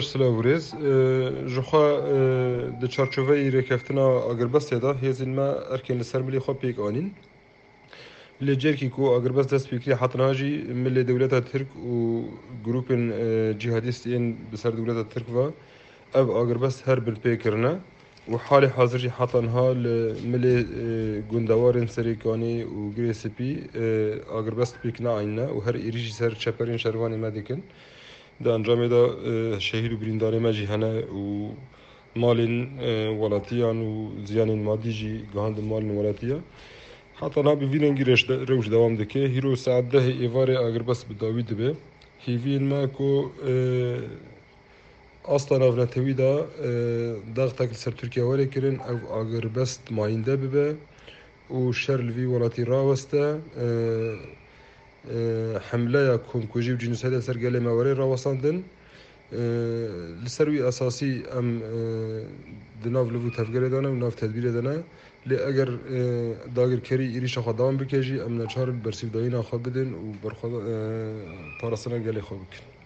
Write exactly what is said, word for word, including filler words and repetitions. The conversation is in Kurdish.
Silav û rêz. E, ji xwe, e, di çarçoveyê rêkeftina agirbestê de hêzên me erkên li ser milê xwe pêk anîn. Lê cêrkî ku agirbest dest pê kiriye, heta niha jî milê dewleta Tirk û grûpên, e, cîhadîst yên bi ser dewleta Tirk ve ev agirbest her binpê kirine û halê hazir jî heta niha li milê, e, gundewarên Serêkanê û Girê Spî, e, agirbest pêk neanîne û her êrîş jî ser çeperên şervanê me dikin. Di encamê de, e, şehîd û birîndarê me jî hene û malên, e, welatiyan û ziyanên madî jî gihandin malên welatiya. Heta niha bi vî rengî reş de-, rewş dewam dike. Hîro saet dehê êvarê agirbest bi dawî dibe. Hêviyên me ku, e, asta navnetewî de, e, dextek li ser Tirkiye were kirin, ev agirbest mayînde bibe û şer li vî welatî raweste. E, e, hemleya komkujî û cînosayda ser gelê me were rawestandin. E, li ser wî esasî em, e, di nav liv û tevgerê de ne û nav tedbîrê de ne. Lê eger, e, dagirkerî êrîşa xwe dewam bike jî, em neçar in bersîvdayîna xwe bidin û berxwe-, e, parastina gelê xwe bikin.